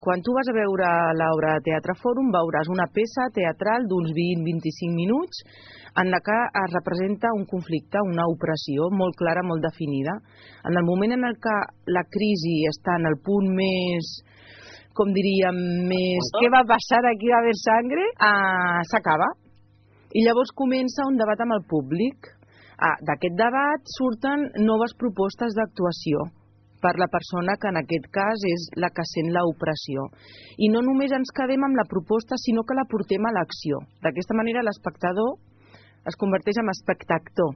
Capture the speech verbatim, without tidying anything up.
Quan tu vas a veure l'obra de Teatre Fòrum veuràs una peça teatral d'uns vint a vint-i-cinc minuts en la que es representa un conflicte, una opressió molt clara, molt definida. En el moment en el que la crisi està en el punt més, com diríem, més... ¿Què va passar aquí? Va haver sangre? Ah, s'acaba. I llavors comença un debat amb el públic. Ah, d'aquest debat surten noves propostes d'actuació per la persona que en aquest cas és la que sent l'opressió. I no només ens quedem amb la proposta, sinó que la portem a l'acció. D'aquesta manera l'espectador es converteix en espectactor.